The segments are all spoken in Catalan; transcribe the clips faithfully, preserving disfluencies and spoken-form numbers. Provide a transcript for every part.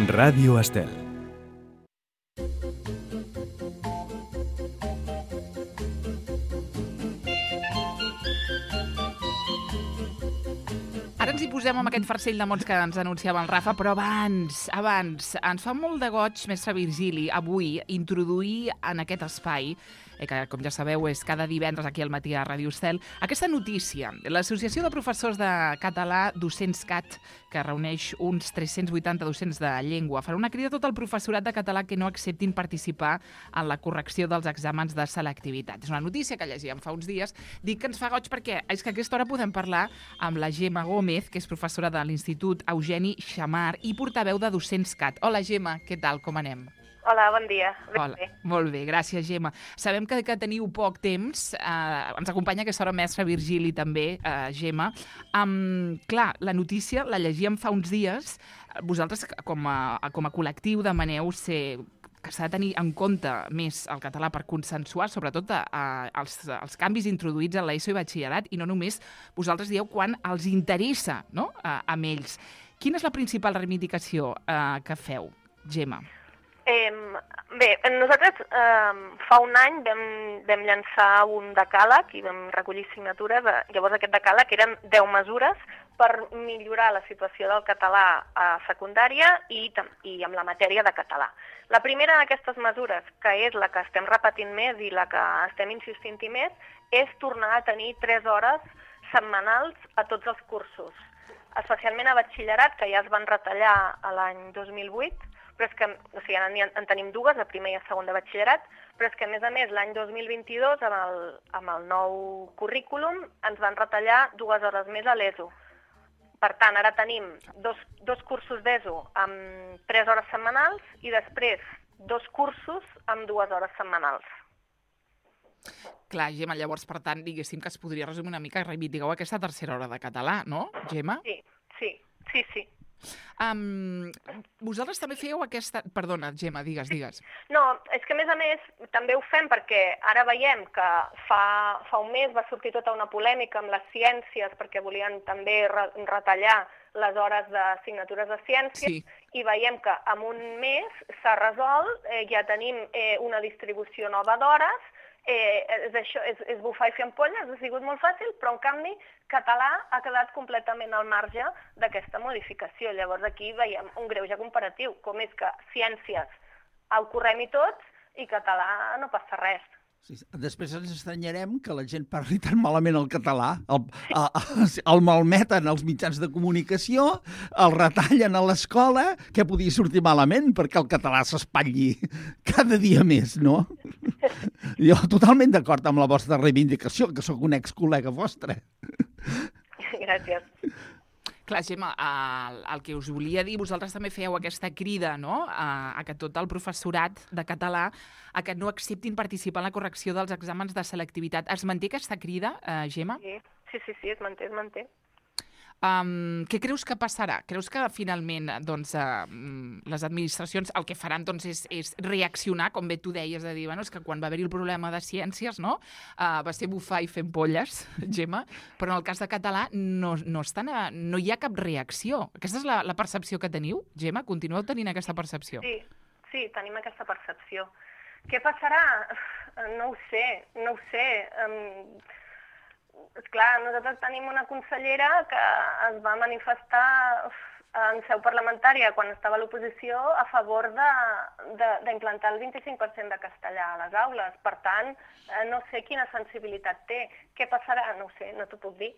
Ràdio Estel. Ara ens hi posem amb aquest farcell de mots que ens anunciava el Rafa, però abans, abans, ens fa molt de goig, mestre Virgili, avui introduir en aquest espai, eh, que com ja sabeu és cada divendres aquí al matí a Ràdio Estel, aquesta notícia. L'Associació de Professors de Català DocentScat, que reuneix uns tres-cents vuitanta docents de llengua, farà una crida a tot el professorat de català que no acceptin participar en la correcció dels exàmens de selectivitat. És una notícia que llegíem fa uns dies. Dic que ens fa goig perquè és que a aquesta hora podem parlar amb la Gemma Gómez, que és professora de l'Institut Eugeni Xammar i portaveu de DocentScat. Hola, Gemma, què tal? Com anem? Hola, bon dia. Ben Hola, bé. molt bé, gràcies, Gemma. Sabem que, que teniu poc temps. Eh, ens acompanya aquesta hora mestre Virgili també, eh, Gemma. Um, clar, la notícia la llegíem fa uns dies. Vosaltres, com a, com a col·lectiu, demaneu ser que s'ha de tenir en compte més el català per consensuar, sobretot a, a, els, els canvis introduïts a l'ESO i batxillerat, i no només vosaltres dieu quan els interessa, no?, a, a ells. Quina és la principal reivindicació eh, que feu, Gemma? Eh, bé, nosaltres eh, fa un any vam, vam llançar un decàleg i vam recollir signatures. Llavors aquest decàleg eren deu mesures per millorar la situació del català a secundària i, i amb la matèria de català. La primera d'aquestes mesures, que és la que estem repetint més i la que estem insistint-hi més, és tornar a tenir tres hores setmanals a tots els cursos, especialment a batxillerat, que ja es van retallar a l'any dos mil vuit, però és que, o sigui, en, en tenim dues, a primer i a segon de batxillerat, però és que, a més a més, l'any dos mil vint-i-dos, amb el, amb el nou currículum, ens van retallar dues hores més a l'ESO. Per tant, ara tenim dos, dos cursos d'ESO amb tres hores setmanals i després dos cursos amb dues hores setmanals. Clar, Gemma, llavors, per tant, diguéssim que es podria resumir una mica, reivindiqueu aquesta tercera hora de català, no, Gemma? Sí, sí, sí, sí. Um, vosaltres també fèieu aquesta... Perdona, Gemma, digues, digues. No, és que a més a més també ho fem perquè ara veiem que fa, fa un mes va sortir tota una polèmica amb les ciències perquè volien també re retallar les hores d'assignatures de ciències, sí. I veiem que en un mes s'ha resolt, eh, ja tenim eh, una distribució nova d'hores. Eh, és, això, és, és bufar i fer ampolles, ha sigut molt fàcil, però en canvi català ha quedat completament al marge d'aquesta modificació. Llavors aquí veiem un greuge comparatiu, com és que ciències ho correm-hi tots i català no passa res. Sí, després ens estranyarem que la gent parli tan malament el català, el, el, el malmeten als mitjans de comunicació, el retallen a l'escola, que podia sortir malament perquè el català s'espatlli cada dia més, no? Jo totalment d'acord amb la vostra reivindicació, que sóc un ex-col·lega vostre. Gràcies. Clar, Gemma, el, el que us volia dir, vosaltres també fèieu aquesta crida, no?, a, a que tot el professorat de català a que no acceptin participar en la correcció dels exàmens de selectivitat. Es manté aquesta crida, eh, Gemma? Sí, sí, sí, sí, es manté, es manté. Um, què creus que passarà? Creus que finalment doncs, uh, les administracions el que faran doncs, és, és reaccionar, com bé tu deies, de dir, bueno, és que quan va haver-hi el problema de ciències, no? Uh, va ser bufar i fer ampolles, Gemma, però en el cas de català no, no, estan a, no hi ha cap reacció. Aquesta és la, la percepció que teniu, Gemma? Continueu tenint aquesta percepció? Sí, sí, tenim aquesta percepció. Què passarà? No ho sé, no ho sé. Um... Esclar, nosaltres tenim una consellera que es va manifestar en seu parlamentària quan estava a l'oposició a favor d'implantar el vint-i-cinc per cent de castellà a les aules. Per tant, no sé quina sensibilitat té. Què passarà? No ho sé, no t'ho puc dir.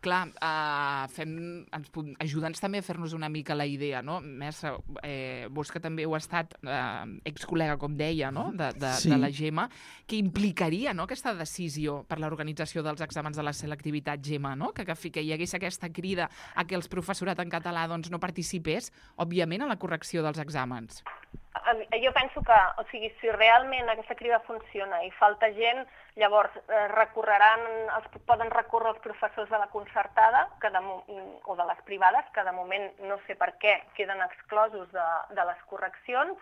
Clar, uh, fem, ens, ajuda'ns també a fer-nos una mica la idea, no? Mestre, eh, vos que també heu estat eh, ex-col·lega, com deia, no?, de, de, sí. de la Gemma, que implicaria, no?, aquesta decisió per l'organització dels exàmens de la selectivitat, Gemma, no?, que, que, que hi hagués aquesta crida a que els professorat en català doncs, no participés, òbviament, en la correcció dels exàmens. Jo penso que, o sigui, si realment aquesta crida funciona i falta gent, llavors eh, recorreran, els, poden recórrer els professors de la concertada que de, o de les privades, que de moment no sé per què queden exclosos de, de les correccions,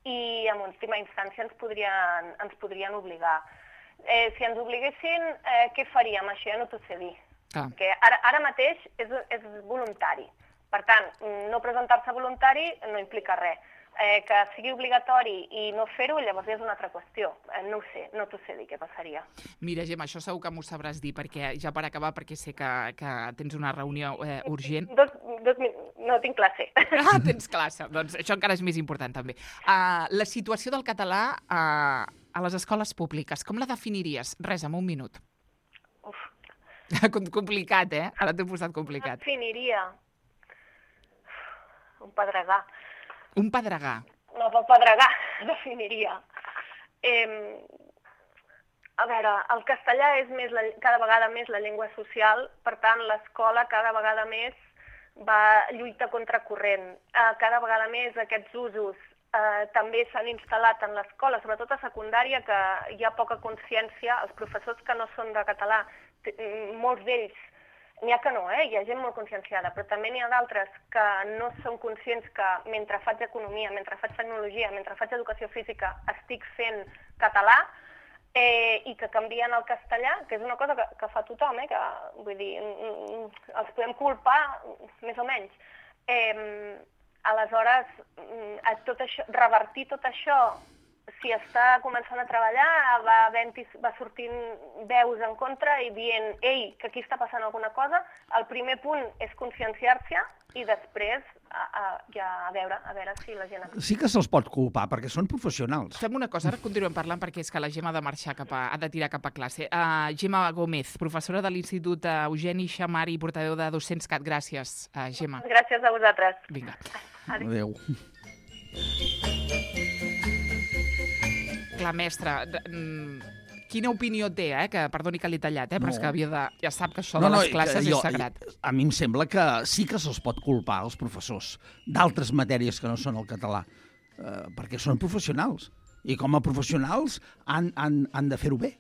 i en última instància ens podrien, ens podrien obligar. Eh, si ens obliguessin, eh, què faríem? Això ja no t'ho sé dir. Ah. Perquè ara, ara mateix és, és voluntari. Per tant, no presentar-se voluntari no implica res. Eh, que sigui obligatori i no fer-ho, llavors és una altra qüestió. Eh, no ho sé, no t'ho sé dir què passaria. Mira, Gemma, això segur que m'ho sabràs dir, perquè ja per acabar, perquè sé que, que tens una reunió eh, urgent. Dos, dos, no tinc classe. Ah, tens classe. Doncs això encara és més important, també. Uh, la situació del català uh, a les escoles públiques, com la definiries? Res, en un minut. Uf. Complicat, eh? Ara t'he posat complicat. Definiria un pedregar. Un pedregar. No, pel pedregar, definiria. Eh, a veure, el castellà és més la, cada vegada més la llengua social, per tant, l'escola cada vegada més va lluita contra corrent. Eh, cada vegada més aquests usos eh, també s'han instal·lat en l'escola, sobretot a secundària, que hi ha poca consciència. Els professors que no són de català, molts d'ells, n'hi ha que no, eh? Hi ha gent molt conscienciada, però també n'hi ha d'altres que no són conscients que mentre faig economia, mentre faig tecnologia, mentre faig educació física, estic fent català eh, i que canvien el castellà, que és una cosa que, que fa tothom, eh? Que, vull dir, els podem culpar més o menys. Eh, aleshores, a tot això, revertir tot això, si està començant a treballar, va, va sortint veus en contra i dient, ei, que aquí està passant alguna cosa. El primer punt és conscienciar-se i després a, a, ja a veure a veure si la gent... Sí que se'ls pot culpar, perquè són professionals. Fem una cosa, ara continuem parlant, perquè és que la Gemma ha de marxar cap a, ha de tirar cap a classe. Uh, Gemma Gómez, professora de l'Institut Eugeni Xamari i portaveu de Docents Cat. Gràcies, uh, Gemma. Gràcies a vosaltres. Vinga. Adéu. Clar, mestra, quina opinió té, eh? Que, perdoni que l'he tallat, eh? Però no. És que havia de... Ja sap que això no, de les no, classes jo, és sagrat. A mi em sembla que sí que se'ls pot culpar als professors d'altres matèries que no són el català, eh, perquè són professionals. I com a professionals han, han, han de fer-ho bé.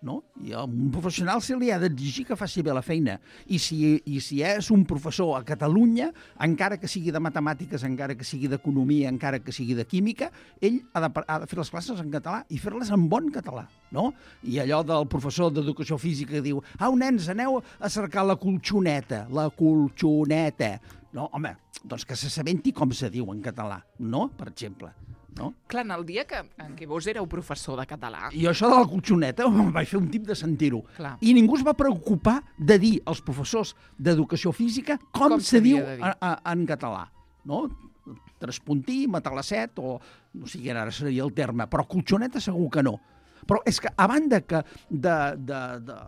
No? I a un professional se li ha d'exigir que faci bé la feina. I si, I si és un professor a Catalunya, encara que sigui de matemàtiques, encara que sigui d'economia, encara que sigui de química, ell ha de, ha de fer les classes en català i fer-les en bon català. No? I allò del professor d'educació física que diu, au, nens, aneu a cercar la colxoneta, la colxoneta. No, home, doncs que s'assabenti com se diu en català, no? Per exemple. No? Clar, en el dia que, en què vos éreu professor de català... I això de la colxoneta em vaig fer un tip de sentir-ho. I ningú es va preocupar de dir als professors d'educació física com, com se diu a, a, en català. No? Traspuntir, matalacet, o no sé quin ara seria el terme, però colxoneta segur que no. Però és que, a banda que de, de, de,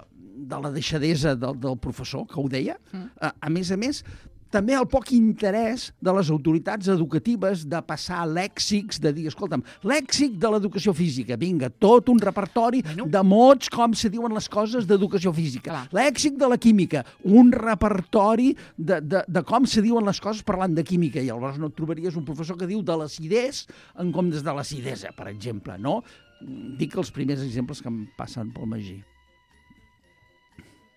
de la deixadesa del, del professor, que ho deia, mm. a, a més a més, també el poc interès de les autoritats educatives de passar lèxics, de dir, escolta'm, lèxic de l'educació física, vinga, tot un repertori bueno. de mots com se diuen les coses d'educació física. Clar. Lèxic de la química, un repertori de, de, de com se diuen les coses parlant de química. I llavors no et trobaries un professor que diu de l'acidès en comptes de l'acidesa, per exemple, no? Dic els primers exemples que em passen pel Magí.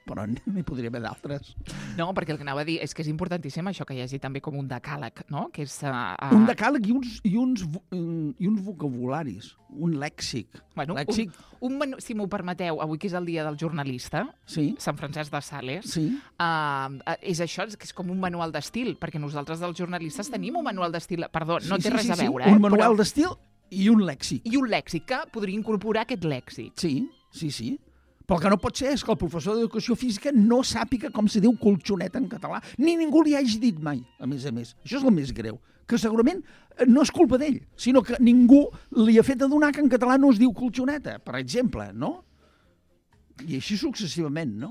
Però n'hi podria haver d'altres. No, perquè el que anava a dir és que és importantíssim això que hi hagi també com un decàleg, no? Que és, uh, uh... Un decàleg i uns, i, uns, i uns vocabularis, un lèxic. Bueno, lèxic. Un, un menu, si m'ho permeteu, avui que és el dia del jornalista, sí. Sant Francesc de Sales, sí. uh, és això, que és com un manual d'estil, perquè nosaltres dels jornalistes tenim un manual d'estil, perdó, no sí, té sí, res sí, a veure. Sí. Eh? Un manual però... d'estil i un lèxic. I un lèxic, que podria incorporar aquest lèxic. Sí, sí, sí. Però el que no pot ser és que el professor d'educació física no sàpiga com se diu colxoneta en català, ni ningú li hagi dit mai, a més a més. Això és el més greu, que segurament no és culpa d'ell, sinó que ningú li ha fet adonar que en català no es diu colxoneta, per exemple, no? I així successivament, no?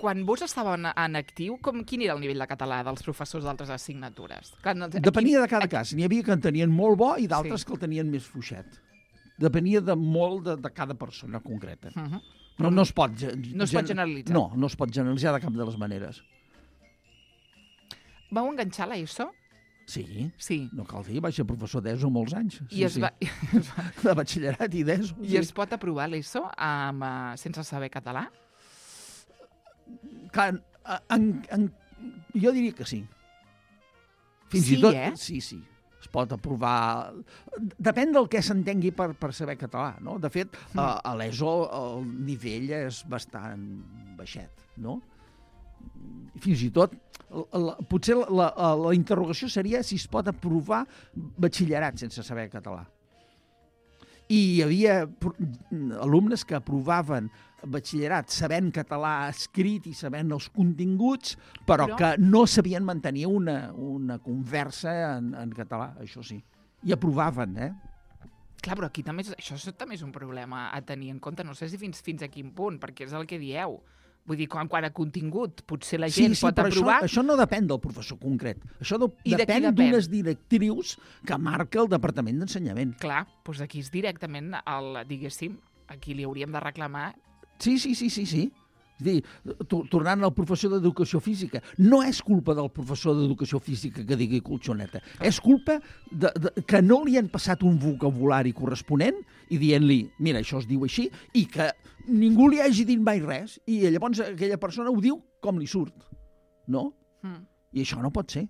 Quan vos estàveu en, en actiu, com, quin era el nivell de català dels professors d'altres assignatures? Clar, no, Depenia aquí, de cada aquí... cas. N'hi havia que en tenien molt bo i d'altres sí. que el tenien més fluixet. Depenia de molt de, de cada persona concreta. Uh -huh. No, no, es pot, no es pot generalitzar. No, no es pot generalitzar de cap de les maneres. Vau enganxar l'ESO? Sí, sí. No cal dir, vaig ser professor d'ESO molts anys. Sí, I es sí. va... De batxillerat i d'ESO. I sí. es pot aprovar l'ESO amb, uh, sense saber català? Clar, en, en, jo diria que sí. Fins sí, i tot, eh? Sí, sí. Es pot aprovar... Depèn del que s'entengui per, per saber català, no? De fet, mm. a, a l'ESO el nivell és bastant baixet, no? fins i tot, la, la, potser la, la, la interrogació seria si es pot aprovar batxillerat sense saber català. I hi havia alumnes que aprovaven batxillerat sabent català escrit i sabent els continguts, però, però... que no sabien mantenir una, una conversa en, en català, això sí. I aprovaven, eh? Clar, però aquí també és, això també és un problema a tenir en compte. No sé si fins, fins a quin punt, perquè és el que dieu. Vull dir, quan, quan a contingut potser la gent sí, sí, pot però aprovar... Això, això no depèn del professor concret. Això de, I de depèn depèn? d'unes directrius que marca el Departament d'Ensenyament. Clar, doncs aquí és directament, el, diguéssim, aquí li hauríem de reclamar... Sí, sí, sí, sí, sí. És dir, tornant al professor d'Educació Física, no és culpa del professor d'Educació Física que digui colxoneta. És culpa de, de, que no li han passat un vocabulari corresponent i dient-li, mira, això es diu així, i que ningú li hagi dit mai res, i llavors aquella persona ho diu com li surt. No? Mm. I això no pot ser.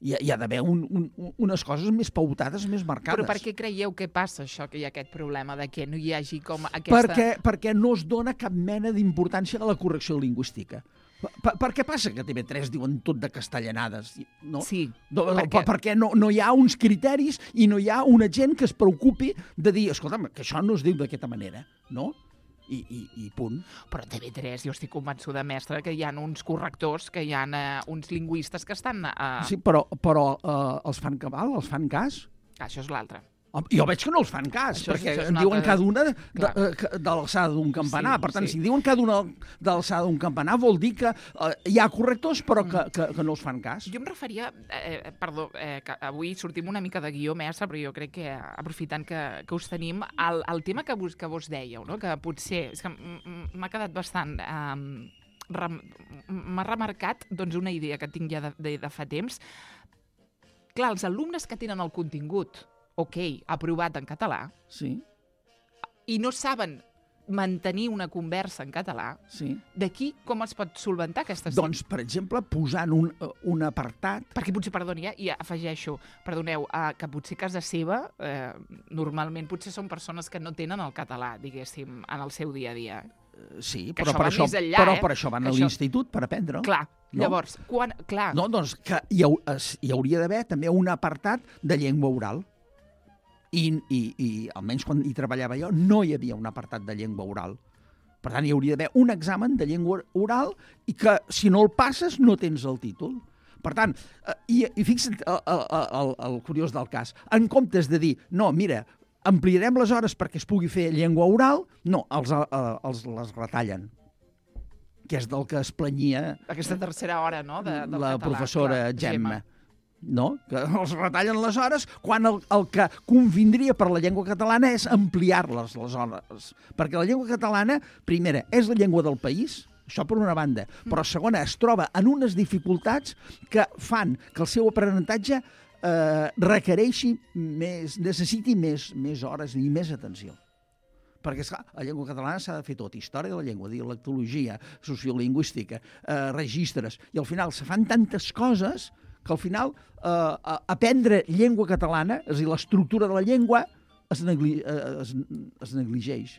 Hi ha, hi ha d'haver un, un, unes coses més pautades, més marcades. Però per què creieu que passa això, que hi ha aquest problema de que no hi hagi com aquesta... Perquè, perquè no es dona cap mena d'importància a la correcció lingüística. Per, per què passa que T V tres diuen tot de castellanades? No? Sí. No, perquè, per, perquè no, no hi ha uns criteris i no hi ha una gent que es preocupi de dir, escolta'm, que això no es diu d'aquesta manera, no? I, i, i punt. Però T V tres, jo estic convençuda, mestre, que hi ha uns correctors, que hi ha uh, uns lingüistes que estan... Uh... Sí, però, però uh, els fan cabal, els fan cas? Ah, això és l'altre. Jo veig que no els fan cas, això és, perquè és diuen altre... cada una de, de, de l'alçada d'un campanar. Sí, per tant, sí. si diuen cada una de l'alçada d'un campanar, vol dir que uh, hi ha correctors, però que, que, que no els fan cas. Jo em referia... Eh, perdó, eh, que avui sortim una mica de guió, mestre, però jo crec que, aprofitant que, que us tenim, el, el tema que vos, que vos dèieu, no? Que potser... És que m'ha quedat bastant... Eh, rem, m'ha remarcat doncs, una idea que tinc ja de, de, de fa temps. Clar, els alumnes que tenen el contingut ok, aprovat en català, sí. i no saben mantenir una conversa en català, sí. d'aquí com es pot solventar aquesta... Doncs, per exemple, posant un, un apartat... Perquè potser, perdoni, eh, i afegeixo, perdoneu, eh, que potser a casa seva, eh, normalment potser són persones que no tenen el català, diguéssim, en el seu dia a dia. Sí, que però, això per va això, més enllà, però eh? per això van que a això... l'institut per aprendre. Clar, no? llavors, quan... Clar. No, doncs que hi, ha, hi hauria d'haver també un apartat de llengua oral. I, i, i almenys quan hi treballava jo no hi havia un apartat de llengua oral. Per tant, hi hauria d'haver un examen de llengua oral i que, si no el passes, no tens el títol. Per tant, eh, i, i fixa't el, el, el, el curiós del cas, en comptes de dir, no, mira, ampliarem les hores perquè es pugui fer llengua oral, no, els, els les retallen, que és del que es planyia aquesta tercera hora, no?, de, del la català, professora clar, Gemma. Gemma. No? Que els retallen les hores quan el, el que convindria per la llengua catalana és ampliar-les les hores. Perquè la llengua catalana, primera, és la llengua del país, això per una banda, però segona, es troba en unes dificultats que fan que el seu aprenentatge eh, requereixi més, necessiti més, més hores i més atenció. Perquè, esclar, la llengua catalana s'ha de fer tot, història de la llengua, dialectologia, sociolingüística, eh, registres, i al final se fan tantes coses que al final eh, aprendre llengua catalana, és a dir, l'estructura de la llengua, es, negli es, es negligeix.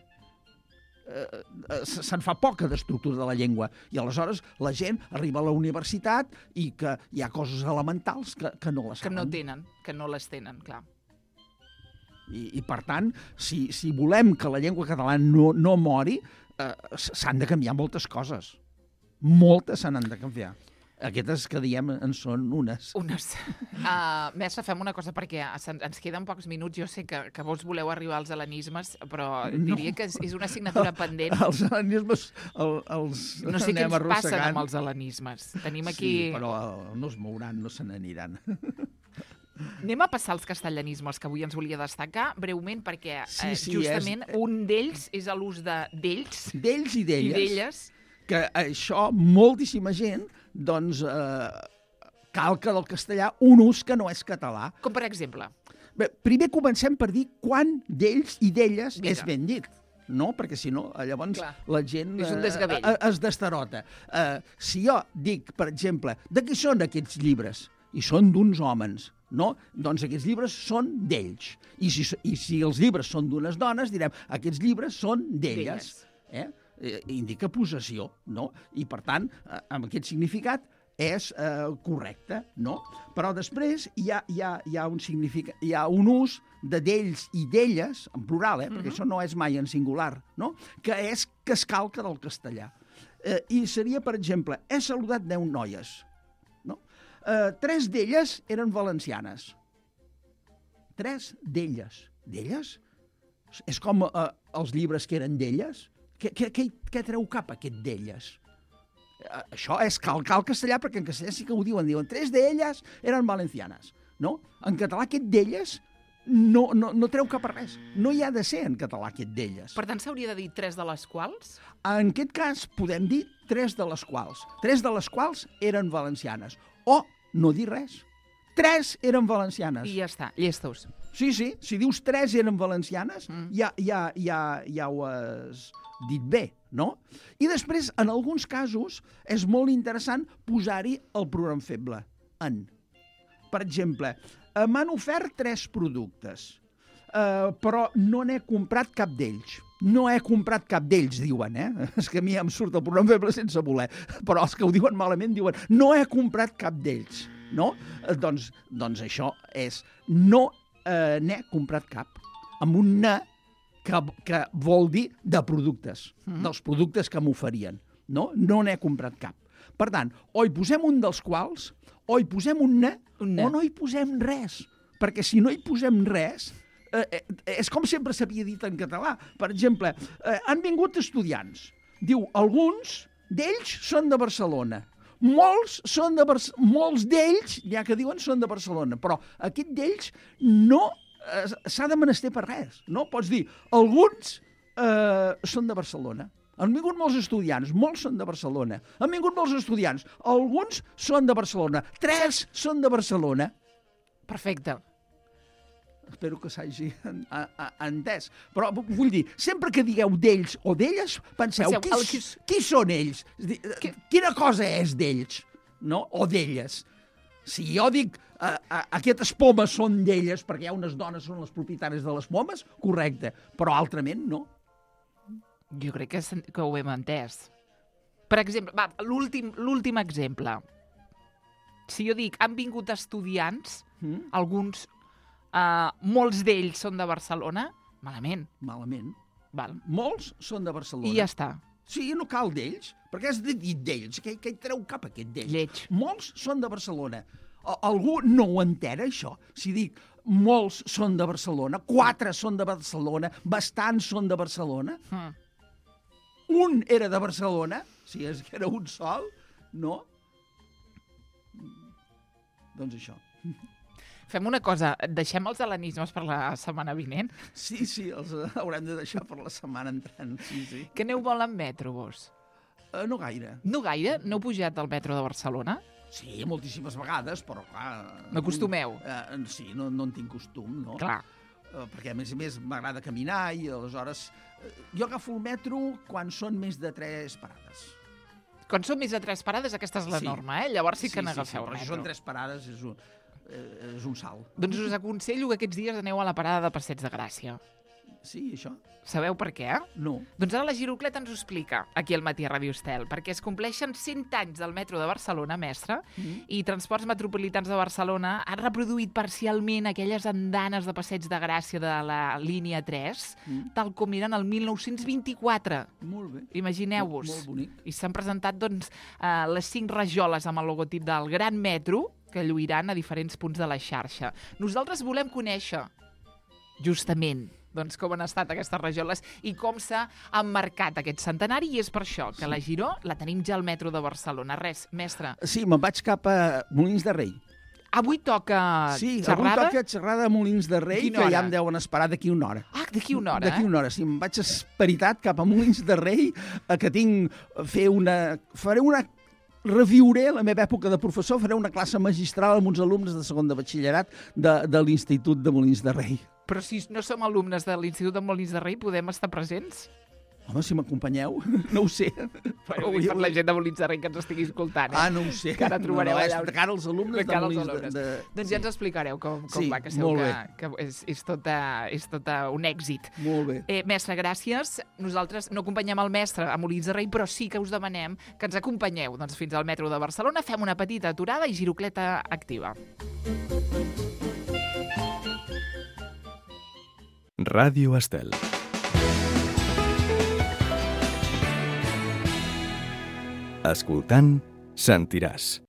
Eh, se'n fa poca d'estructura de la llengua i aleshores la gent arriba a la universitat i que hi ha coses elementals que, que no les saben. Que no tenen, que no les tenen, clar. I, i per tant, si, si volem que la llengua catalana no, no mori, eh, s'han de canviar moltes coses. Moltes se n'han de canviar. Aquestes que diem en són unes. Unes. Uh, mestre, fem una cosa, perquè ens queden pocs minuts. Jo sé que, que vos voleu arribar als helenismes, però diria no. que és, és una assignatura pendent. Els helenismes el, els no sé què ens arrossegant. passen amb els helenismes. Tenim aquí... Sí, però no es mouran, no se n'aniran. Anem a passar als castellanismes, que avui ens volia destacar, breument, perquè sí, sí, eh, justament és... un d'ells és l'ús de d'ells. D'ells i d'elles. I d'elles. Que això, moltíssima gent, doncs, eh, calca del castellà un ús que no és català. Com per exemple? Bé, primer comencem per dir quan d'ells i d'elles Mira. és ben dit. No? Perquè si no, llavors Clar. la gent és un desgavell. eh, es destarota. Eh, si jo dic, per exemple, de què són aquests llibres? I són d'uns homes, no? Doncs aquests llibres són d'ells. I si, i si els llibres són d'unes dones, direm, aquests llibres són d'elles. Eh? eh, indica possessió, no? I, per tant, eh, amb aquest significat és eh, correcte, no? Però després hi ha, hi ha, hi ha, un, significa, hi ha un ús de d'ells i d'elles, en plural, eh? Perquè uh-huh. això no és mai en singular, no? Que és que es calca del castellà. Eh, I seria, per exemple, he saludat deu noies, no? Eh, tres d'elles eren valencianes. Tres d'elles. D'elles? És com eh, els llibres que eren d'elles? Què, què, què, què treu cap aquest d'elles? Eh, això és calcar el castellà, perquè en castellà sí que ho diuen. Diuen, tres d'elles eren valencianes. No? En català aquest d'elles no, no, no treu cap a res. No hi ha de ser en català aquest d'elles. Per tant, s'hauria de dir tres de les quals? En aquest cas podem dir tres de les quals. Tres de les quals eren valencianes. O no dir res. Tres eren valencianes. I ja està, llestos. Sí, sí, si dius tres eren valencianes, mm. ja, ja, ja, ja ho has dit bé, no? I després, en alguns casos, és molt interessant posar-hi el pronom feble, en. Per exemple, eh, m'han ofert tres productes, eh, però no n'he comprat cap d'ells. No he comprat cap d'ells, diuen, eh? És que a mi em surt el pronom feble sense voler, però els que ho diuen malament diuen no he comprat cap d'ells, no? Eh, doncs, doncs això és no eh, n'he comprat cap, amb un ne que, que vol dir de productes, mm. dels productes que m'oferien, no? No n'he comprat cap. Per tant, o hi posem un dels quals, o hi posem un ne, un ne. o no hi posem res, perquè si no hi posem res, eh, eh, és com sempre s'havia dit en català. Per exemple, eh, han vingut estudiants. Diu, alguns d'ells són de Barcelona. Molts són de Bar- molts d'ells, ja que diuen, són de Barcelona, però aquest d'ells no eh, s'ha de menester per res, no? Pots dir, alguns eh, són de Barcelona. Han vingut molts estudiants, molts són de Barcelona. Han vingut molts estudiants, alguns són de Barcelona, tres són de Barcelona. Perfecte. Espero que s'hagi entès. Però vull dir, sempre que digueu d'ells o d'elles, penseu, penseu qui, el... qui, qui són ells? Qui... Quina cosa és d'ells? No? O d'elles? Si jo dic uh, uh, aquestes pomes són d'elles perquè hi ha unes dones són les propietàries de les pomes, correcte. Però altrament no. Jo crec que, que ho hem entès. Per exemple, va, l'últim l'últim exemple. Si jo dic, han vingut estudiants, mm? alguns... Uh, molts d'ells són de Barcelona, malament. Malament. Val. Molts són de Barcelona. I ja està. Sí, no cal d'ells, perquè has dit d'ells, que, que hi treu cap aquest d'ells. Lleig. Molts són de Barcelona. Algú no ho entén, això? Si dic, molts són de Barcelona, quatre són de Barcelona, bastants són de Barcelona, mm. un era de Barcelona, si és que era un sol, no? Doncs això. Fem una cosa, deixem els helenismes per la setmana vinent? Sí, sí, els haurem de deixar per la setmana entrant, sí, sí. Que aneu molt en metro, vos? Uh, no gaire. No gaire? No heu pujat al metro de Barcelona? Sí, moltíssimes vegades, però clar... N'acostumeu? Uh, sí, no, no en tinc costum, no? Clar. Uh, perquè, a més a més, m'agrada caminar i, aleshores, uh, jo agafo el metro quan són més de tres parades. Quan són més de tres parades, aquesta és la sí. norma, eh? Llavors sí que sí, n'agafeu sí, sí, el metro. Si són tres parades, és un... és un salt. Doncs us aconsello que aquests dies aneu a la parada de Passeig de Gràcia. Sí, això? Sabeu per què? No. Doncs ara la Girocleta ens ho explica, aquí al Matí a Ràdio Estel, perquè es compleixen cent anys del metro de Barcelona, mestre, mm. i Transports Metropolitans de Barcelona han reproduït parcialment aquelles andanes de Passeig de Gràcia de la línia tres, mm. tal com eren el mil nou-cents vint-i-quatre. Molt bé. Imagineu-vos. Molt, molt bonic. I s'han presentat, doncs, eh, les cinc rajoles amb el logotip del Gran Metro, que lluiran a diferents punts de la xarxa. Nosaltres volem conèixer, justament, doncs, com han estat aquestes rajoles i com s'ha emmarcat aquest centenari, i és per això que sí. la Giró la tenim ja al metro de Barcelona. Res, mestre. Sí, me'n vaig cap a Molins de Rei. Avui toca sí, xerrada? Sí, avui toca xerrada a Molins de Rei, que ja em deuen esperar d'aquí una hora. Ah, d'aquí una hora, D'aquí una hora, sí. Em vaig esperitat cap a Molins de Rei, que tinc fer una... faré una... reviuré la meva època de professor, faré una classe magistral amb uns alumnes de segon de batxillerat de, de l'Institut de Molins de Rei. Però si no som alumnes de l'Institut de Molins de Rei, podem estar presents? Home, si m'acompanyeu, no ho sé. Però vull per la gent de Molins de Rei que ens estigui escoltant. Eh? Ah, no ho sé. Que ara trobareu no, no, allà... És de cara als alumnes de, de, cara als Molins alumnes. de, de... Doncs ja ens explicareu com, com sí, va, que segur que, bé. que és, és, tota, és tota un èxit. Molt bé. Eh, mestre, gràcies. Nosaltres no acompanyem el mestre a Molins de Rei, però sí que us demanem que ens acompanyeu doncs, fins al metro de Barcelona, fem una petita aturada i girocleta activa. Ràdio Estel. Escoltant, sentiràs.